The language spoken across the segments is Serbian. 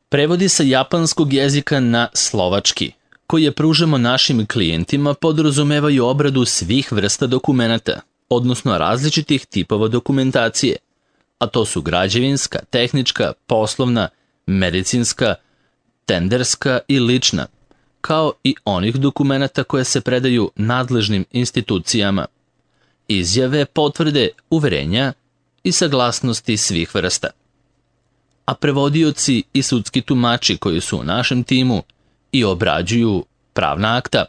Prevodi sa japanskog jezika na slovački, koje pružamo našim klijentima, podrazumevaju obradu svih vrsta dokumenata, odnosno različitih tipova dokumentacije, a to su građevinska, tehnička, poslovna, medicinska, tenderska i lična, kao i onih dokumenata koje se predaju nadležnim institucijama, izjave, potvrde, uverenja i saglasnosti svih vrsta. A prevodioci i sudski tumači koji su u našem timu i obrađuju pravna akta,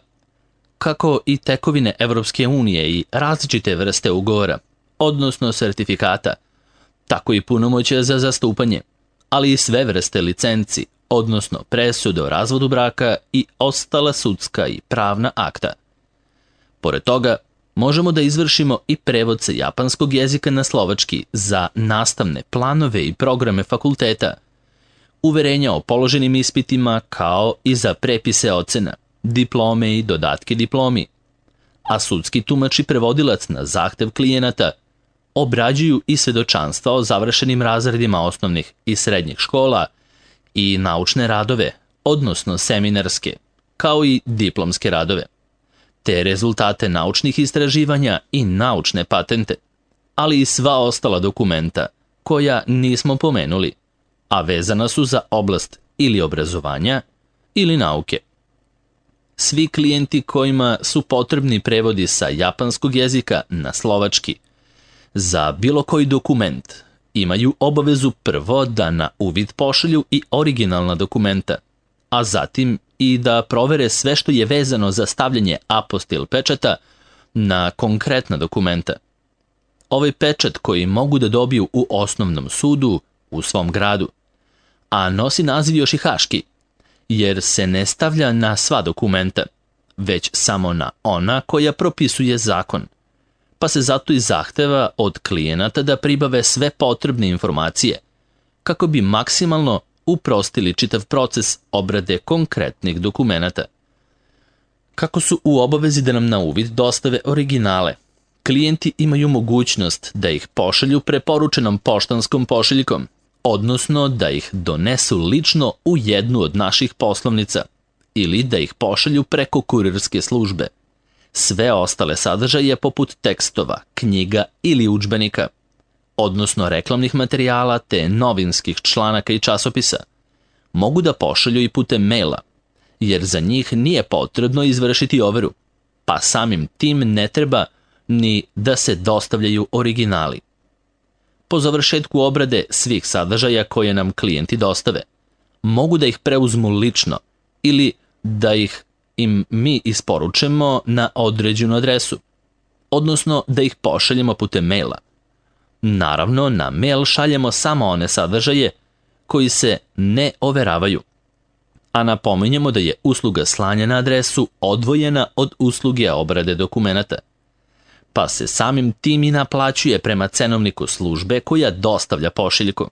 kako i tekovine Evropske unije i različite vrste ugovora, odnosno sertifikata, tako i punomoćja za zastupanje, ali i sve vrste licenci, odnosno presude o razvodu braka i ostala sudska i pravna akta. Pored toga, možemo da izvršimo i prevod sa japanskog jezika na slovački za nastavne planove i programe fakulteta, uverenja o položenim ispitima kao i za prepise ocena, diplome i dodatke diplomi, a sudski tumač i prevodilac na zahtev klijenata obrađuju i svedočanstva o završenim razredima osnovnih i srednjih škola i naučne radove, odnosno seminarske, kao i diplomske radove, te rezultate naučnih istraživanja i naučne patente, ali i sva ostala dokumenta koja nismo pomenuli, a vezana su za oblast ili obrazovanja ili nauke. Svi klijenti kojima su potrebni prevodi sa japanskog jezika na slovački za bilo koji dokument imaju obavezu prvo da na uvid pošalju i originalna dokumenta, a zatim i da provere sve što je vezano za stavljanje apostil pečata na konkretna dokumenta. Ovaj pečat koji mogu da dobiju u osnovnom sudu u svom gradu, a nosi naziv još i haški, jer se ne stavlja na sva dokumenta, već samo na ona koja propisuje zakon, pa se zato i zahteva od klijenata da pribave sve potrebne informacije, kako bi maksimalno uprostili čitav proces obrade konkretnih dokumenata. Kako su u obavezi da nam na uvid dostave originale, klijenti imaju mogućnost da ih pošalju preporučenom poštanskom pošiljkom, odnosno da ih donesu lično u jednu od naših poslovnica ili da ih pošalju preko kurirske službe. Sve ostale sadržaje poput tekstova, knjiga ili udžbenika, odnosno reklamnih materijala te novinskih članaka i časopisa, mogu da pošalju i putem maila, jer za njih nije potrebno izvršiti overu, pa samim tim ne treba ni da se dostavljaju originali. Po završetku obrade svih sadržaja koje nam klijenti dostave, mogu da ih preuzmu lično ili da ih im mi isporučemo na određenu adresu, odnosno da ih pošaljemo putem maila. Naravno, na mail šaljemo samo one sadržaje koji se ne overavaju, a napominjemo da je usluga slanja na adresu odvojena od usluge obrade dokumenata, pa se samim tim i naplaćuje prema cenovniku službe koja dostavlja pošiljku.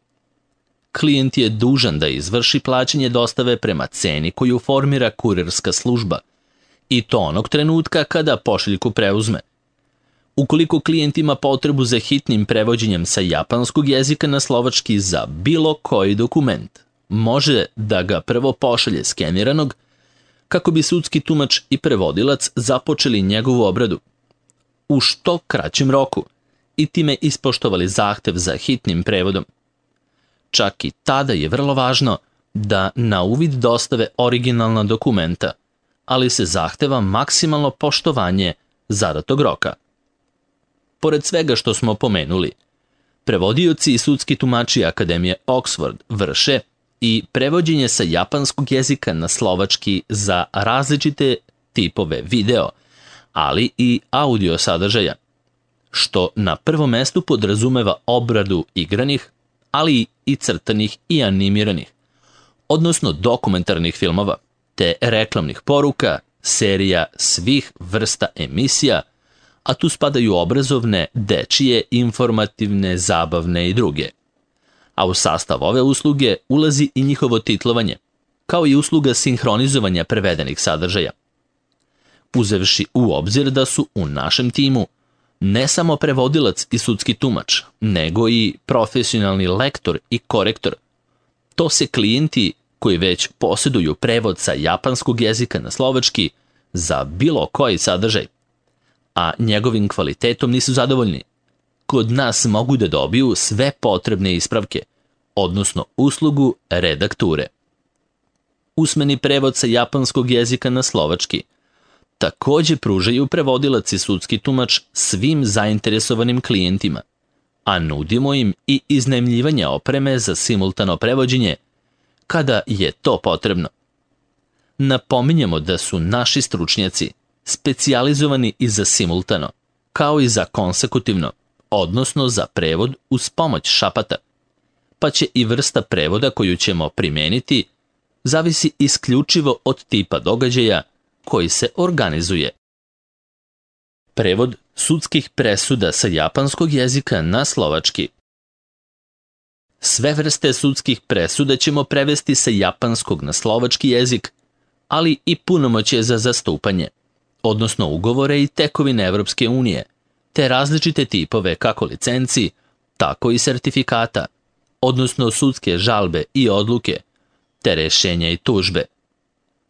Klijent je dužan da izvrši plaćanje dostave prema ceni koju formira kurirska služba, i to onog trenutka kada pošiljku preuzme. Ukoliko klijent ima potrebu za hitnim prevođenjem sa japanskog jezika na slovački za bilo koji dokument, može da ga prvo pošalje skeniranog, kako bi sudski tumač i prevodilac započeli njegovu obradu u što kraćem roku i time ispoštovali zahtev za hitnim prevodom. Čak i tada je vrlo važno da na uvid dostave originalna dokumenta, ali se zahteva maksimalno poštovanje zadatog roka. Pored svega što smo pomenuli, prevodioci i sudski tumači Akademije Oxford vrše i prevođenje sa japanskog jezika na slovački za različite tipove video, ali i audio sadržaja, što na prvom mestu podrazumeva obradu igranih, ali i crtanih i animiranih, odnosno dokumentarnih filmova, te reklamnih poruka, serija svih vrsta emisija, a tu spadaju obrazovne, dečije, informativne, zabavne i druge. A u sastav ove usluge ulazi i njihovo titlovanje, kao i usluga sinhronizovanja prevedenih sadržaja. Uzevši u obzir da su u našem timu ne samo prevodilac i sudski tumač, nego i profesionalni lektor i korektor, to se klijenti koji već posjeduju prevod sa japanskog jezika na slovački za bilo koji sadržaj, a njegovim kvalitetom nisu zadovoljni. Kod nas mogu da dobiju sve potrebne ispravke, odnosno uslugu redakture. Usmeni prevod sa japanskog jezika na slovački također pružaju prevodilac i sudski tumač svim zainteresovanim klijentima, a nudimo im i iznajmljivanje opreme za simultano prevođenje kada je to potrebno. Napominjemo da su naši stručnjaci specijalizovani i za simultano, kao i za konsekutivno, odnosno za prevod uz pomoć šapata, pa će i vrsta prevoda koju ćemo primeniti zavisi isključivo od tipa događaja koji se organizuje. Prevod sudskih presuda sa japanskog jezika na slovački. Sve vrste sudskih presuda ćemo prevesti sa japanskog na slovački jezik, ali i punomoćje za zastupanje, odnosno ugovore i tekovine Evropske unije, te različite tipove kako licenci, tako i sertifikata, odnosno sudske žalbe i odluke, te rešenja i tužbe.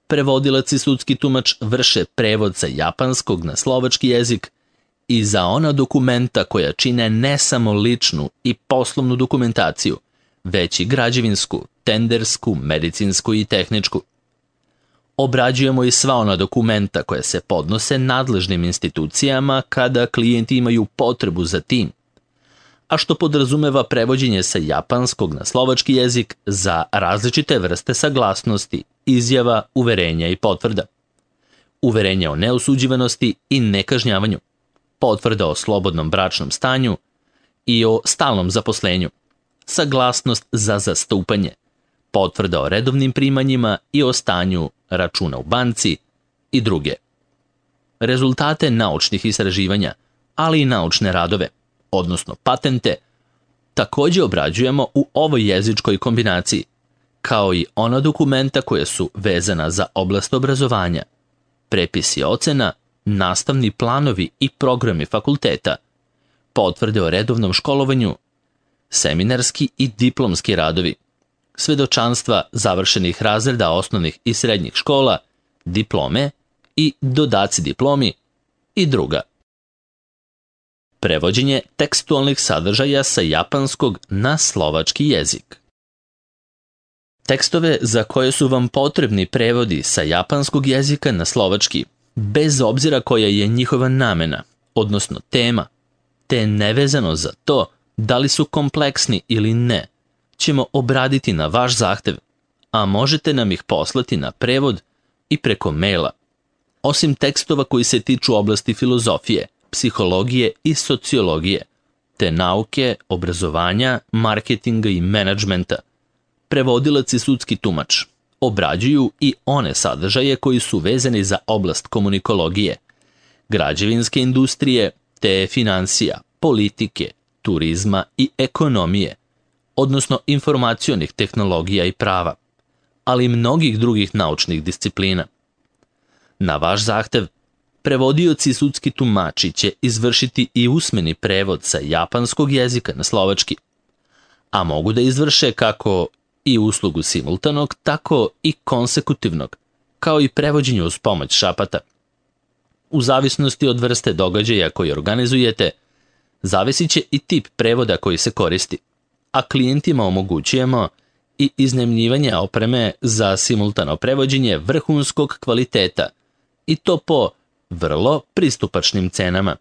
Prevodilac i sudski tumač vrše prevod sa japanskog na slovački jezik i za ona dokumenta koja čine ne samo ličnu i poslovnu dokumentaciju, već i građevinsku, tendersku, medicinsku i tehničku. Obrađujemo i sva ona dokumenta koja se podnose nadležnim institucijama kada klijenti imaju potrebu za tim, a što podrazumeva prevođenje sa japanskog na slovački jezik za različite vrste saglasnosti, izjava, uverenja i potvrda. Uverenja o neosuđivanosti i nekažnjavanju, potvrda o slobodnom bračnom stanju i o stalnom zaposlenju, saglasnost za zastupanje, potvrda o redovnim primanjima i o stanju računa u banci i druge. Rezultate naučnih istraživanja, ali i naučne radove, odnosno patente, također obrađujemo u ovoj jezičkoj kombinaciji, kao i ona dokumenta koja su vezana za oblast obrazovanja, prepisi ocena, nastavni planovi i programi fakulteta, potvrde o redovnom školovanju, seminarski i diplomski radovi, svedočanstva završenih razreda osnovnih i srednjih škola, diplome i dodaci diplomi i druga. Prevođenje tekstualnih sadržaja sa japanskog na slovački jezik. Tekstove za koje su vam potrebni prevodi sa japanskog jezika na slovački, bez obzira koja je njihova namena, odnosno tema, te nevezano za to da li su kompleksni ili ne, ćemo obraditi na vaš zahtev, a možete nam ih poslati na prevod i preko maila. Osim tekstova koji se tiču oblasti filozofije, psihologije i sociologije, te nauke, obrazovanja, marketinga i menadžmenta, prevodilac i sudski tumač obrađuju i one sadržaje koji su vezani za oblast komunikologije, građevinske industrije, te financija, politike, turizma i ekonomije, odnosno informacionih tehnologija i prava, ali i mnogih drugih naučnih disciplina. Na vaš zahtev, prevodioci i sudski tumači će izvršiti i usmeni prevod sa japanskog jezika na slovački, a mogu da izvrše kako i uslugu simultanog, tako i konsekutivnog, kao i prevođenje uz pomoć šapata. U zavisnosti od vrste događaja koji organizujete, zavisit će i tip prevoda koji se koristi, a klijentima omogućujemo i iznajmljivanje opreme za simultano prevođenje vrhunskog kvaliteta, i to po vrlo pristupačnim cenama.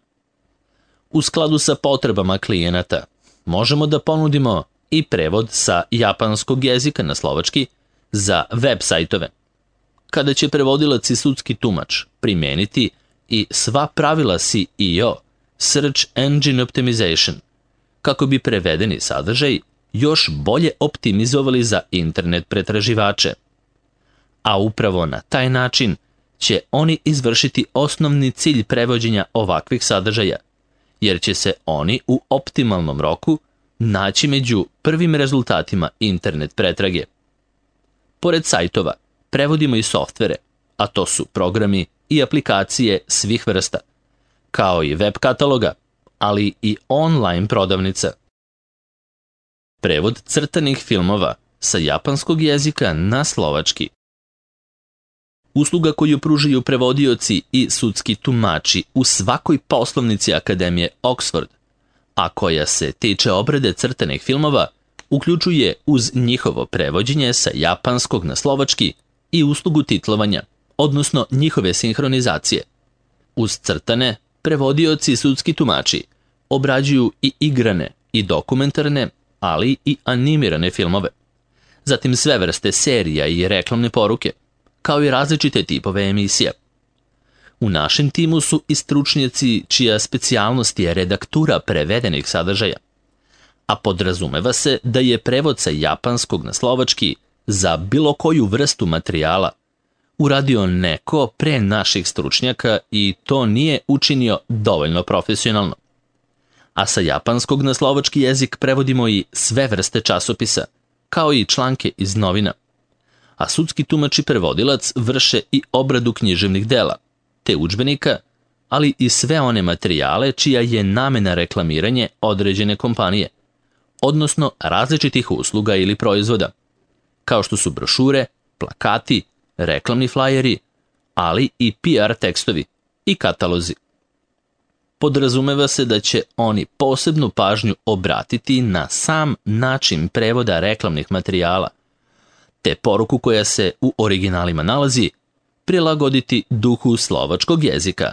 U skladu sa potrebama klijenata, možemo da ponudimo i prevod sa japanskog jezika na slovački za web sajtove, kada će prevodilac i sudski tumač primeniti i sva pravila SEO, Search Engine Optimization, kako bi prevedeni sadržaj još bolje optimizovali za internet pretraživače. A upravo na taj način će oni izvršiti osnovni cilj prevođenja ovakvih sadržaja, jer će se oni u optimalnom roku naći među prvim rezultatima internet pretrage. Pored sajtova, prevodimo i softvere, a to su programi i aplikacije svih vrsta, kao i web kataloga, ali i online prodavnica. Prevod crtanih filmova, sa japanskog jezika na slovački. Usluga koju pružaju prevodioci i sudski tumači u svakoj poslovnici Akademije Oxford, a koja se tiče obrade crtanih filmova, uključuje uz njihovo prevođenje sa japanskog na slovački i uslugu titlovanja, odnosno njihove sinhronizacije. Uz crtane, prevodioci i sudski tumači obrađuju i igrane i dokumentarne, ali i animirane filmove. Zatim sve vrste serija i reklamne poruke, kao i različite tipove emisija. U našem timu su i stručnjaci čija specijalnost je redaktura prevedenih sadržaja, a podrazumeva se da je prevod sa japanskog na slovački za bilo koju vrstu materijala uradio neko pre naših stručnjaka i to nije učinio dovoljno profesionalno. A sa japanskog na slovački jezik prevodimo i sve vrste časopisa, kao i članke iz novina. A sudski tumač i prevodilac vrše i obradu književnih dela, te udžbenika, ali i sve one materijale čija je namena reklamiranje određene kompanije, odnosno različitih usluga ili proizvoda, kao što su brošure, plakati, reklamni flajeri, ali i PR tekstovi i katalozi. Podrazumeva se da će oni posebnu pažnju obratiti na sam način prevoda reklamnih materijala, te poruku koja se u originalima nalazi prilagoditi duhu slovačkog jezika.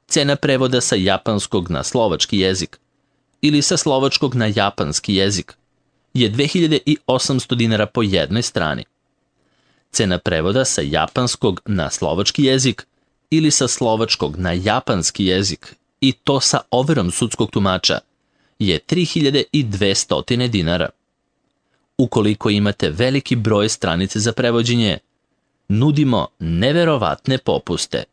Cena prevoda sa japanskog na slovački jezik ili sa slovačkog na japanski jezik je 2800 dinara po jednoj strani. Cena prevoda sa japanskog na slovački jezik ili sa slovačkog na japanski jezik i to sa overom sudskog tumača je 3200 dinara. Ukoliko imate veliki broj stranice za prevođenje, nudimo neverovatne popuste.